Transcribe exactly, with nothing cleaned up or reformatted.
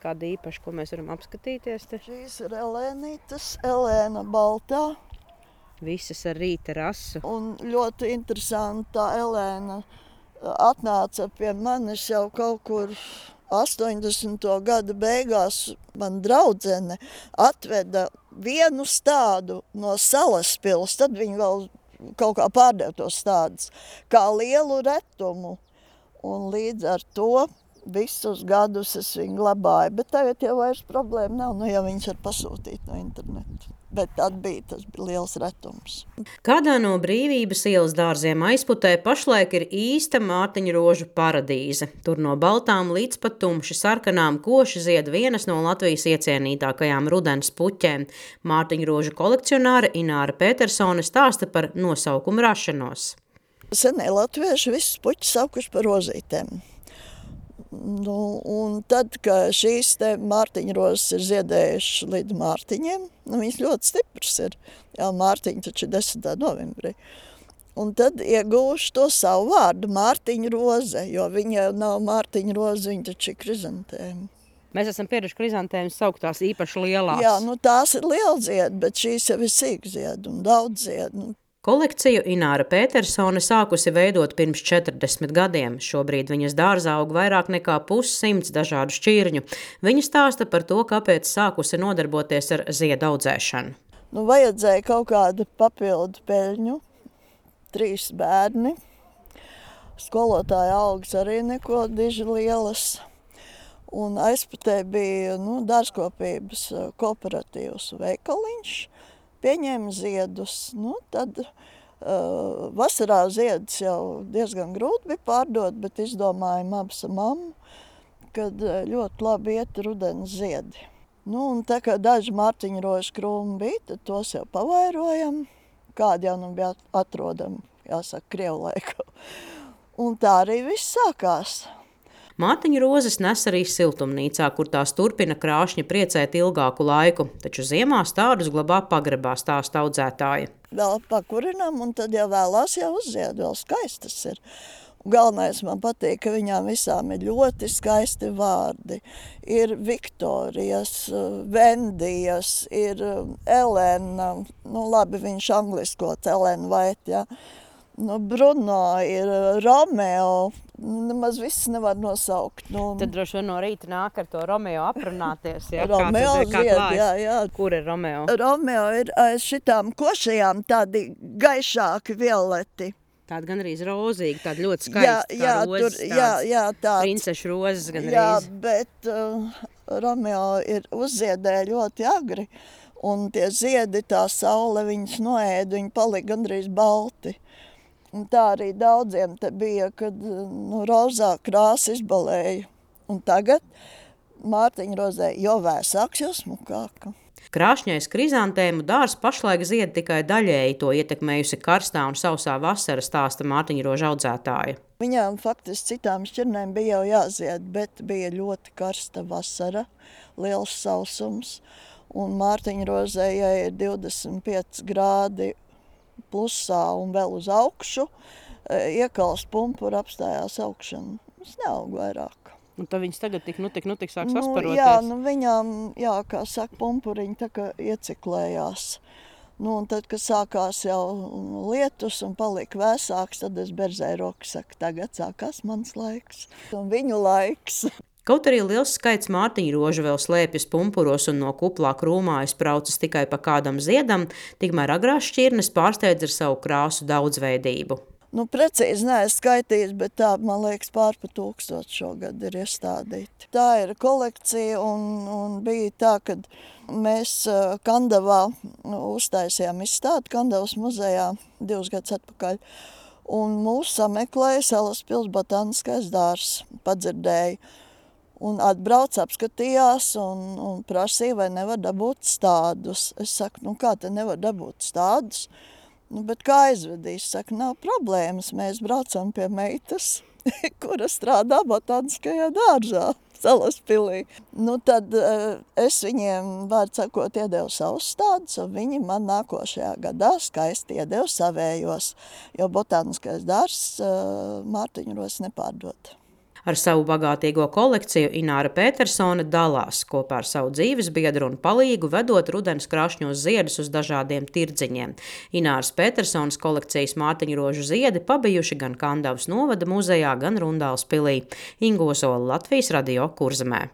kāda īpaša, ko mēs varam apskatīties te? Šīs ir Elēnītes, Elēna baltā. Visas ar rīta rasu. Un ļoti interesanta Elēna atnāca pie manis jau kaut kur astoņdesmito gadu beigās. Man draudzene atveda vienu stādu no Salaspils, tad viņi vēl kaut kā pārdeva tos stādus, kā lielu retumu. Un līdz ar to visus gadus es viņu glabāju, bet tagad jau vairs problēma nav, nu ja viņš var pasūtīt no interneta. Bet tad bija, tas bija liels retums. Kādā no Brīvības ielas dārziem Aizputē pašlaik ir īsta mārtiņrožu paradīze. Tur no baltām līdz pat tumši sarkanām koši zied vienas no Latvijas iecienītākajām rudens puķēm. Mārtiņrožu kolekcionāre Ināra Petersone stāsta par nosaukumu rašanos. Senie latvieši visus puķus saukuši par rozītēm. Nu, un tad, kad šīs te mārtiņrozes ir ziedējušas līdz mārtiņiem, nu, viņas ļoti stipras ir. Jā, mārtiņi taču ir desmitā novembrī. Un tad iegūšu to savu vārdu mārtiņroze, jo viņa nav mārtiņroze, viņa taču ir krizantēma. Mēs esam pieraduši krizantēmas saukt tās īpaši lielās. Jā, nu tās ir lielzied, bet šīs jau ir sīkzied un daudzied. Nu. Kolekciju Ināra Petersone sākusi veidot pirms četrdesmit gadiem. Šobrīd viņas dārzā aug vairāk nekā pussimts dažādu šķirņu. Viņa stāsta par to, kāpēc sākusi nodarboties ar ziedu audzēšanu. Nu, vajadzēja kaut kādu papildu peļņu, trīs bērni. Skolotāja augas arī neko diži lielas. Un Aizputē bija nu, dārzkopības kooperatīvs veikaliņš. Pieņēma ziedus, nu, tad uh, vasarā ziedus jau diezgan grūti bija pārdot, bet izdomājām abas ar mammu, kad ļoti labi iet rudens ziedi. Nu, un tā kā daži mārtiņrožu krūmi bija, tad tos jau pavairojam, kādi jau nu bija atrodami, jāsaka, Krievu laikā. Un tā arī viss sākās. Mārtiņrozes nes arī siltumnīcā, kur tās turpina krāšņi priecēt ilgāku laiku, taču ziemā stādus glabā pagrabā, stāsta audzētāja. Vēl pakurinām, un tad jau vēlās jau uzzied, vēl skaistas ir. Galvenais man patīk, ka viņām visām ir ļoti skaisti vārdi. Ir Viktorijas, Vendijas, ir Elena, nu labi, viņš angliskots, Elena Vait, jā. Nu, Bruno ir Romeo, nemaz viss nevar nosaukt. Nu, Tad droši vien no rīta nāk ar to Romeo aprunāties. Jā, Romeo kā tad, zied, jā, jā. Kur ir Romeo? Romeo ir aiz šitām košajām tādi gaišāki violeti. Tāda gan arī rozīgi, tāda ļoti skaista, jā, jā, kā rozes, tur, jā, jā, tāds. Princešu rozes gan Jā, arī. bet uh, Romeo ir uzziedē ļoti agri, un tie ziedi, tā saule viņas noēda, viņi palika gandrīz balti. Un tā arī daudziem te bija, kad nu, rozā krāsa izbalēja. Un tagad mārtiņrozē jo vēsāks, jo smukāka. Krāšņais krizantēmu dārs pašlaik zied tikai daļēji, to ietekmējusi karstā un sausā vasara, stāsta mārtiņrožu audzētāja. Viņām faktiski citām šķirnēm bija jau jāzied, bet bija ļoti karsta vasara, liels sausums. Un mārtiņrozē, ja ir divdesmit pieci grādi plusā un vēl uz augšu, iekals pumpura apstājās augšana. Tas neaug vairāk. Un tad viņas tagad tik, nu tik, nu tik sāk nu, sasparoties. Jā, nu viņām, jā, kā saka, pumpuriņi tā kā ieciklējās. Nu, un tad, kad sākās jau lietus un palika vēsāks, tad es berzēju roku, saku, tagad sākās mans laiks. Un viņu laiks. Kaut arī liels skaits mārtiņrožu vēl slēpjas pumpuros un no kuplā krūmā izbraucas tikai pa kādam ziedam, tikmēr agrās šķirnes pārsteidz ar savu krāsu daudzveidību. Nu, precīzi neesmu skaitījis, bet tā, man liekas, pār pa tūkstoši šogad ir iestādīti. Tā ir kolekcija un, un bija tā, kad mēs Kandavā uztaisījām izstādi Kandavas muzejā divus gadus atpakaļ. Un mūs sameklēja Salaspils botāniskais dārzs, padzirdēja. Un atbrauc, apskatījās un, un prasīja, vai nevar dabūt stādus. Es saku, nu kā te nevar dabūt stādus? Nu, bet kā aizvedīs? Saku, nav problēmas, mēs braucam pie meitas, kura strādā botāniskajā dārzā, Salaspilī. Nu, tad es viņiem, vārds sakot, iedevu savus stādus, un viņi man nākošajā gadā skaisti iedevu savējos, jo botāniskais dārzs mārtiņros nepārdod. Ar savu bagātīgo kolekciju Ināra Petersone dalās kopā ar savu dzīvesbiedru un palīgu, vedot rudens krāšņos ziedus uz dažādiem tirdziņiem. Ināras Petersones kolekcijas mārtiņrožu ziedi pabijuši gan Kandavas novada muzejā, gan Rundāls pilī. Inga Ozola, Latvijas radio, Kurzemē.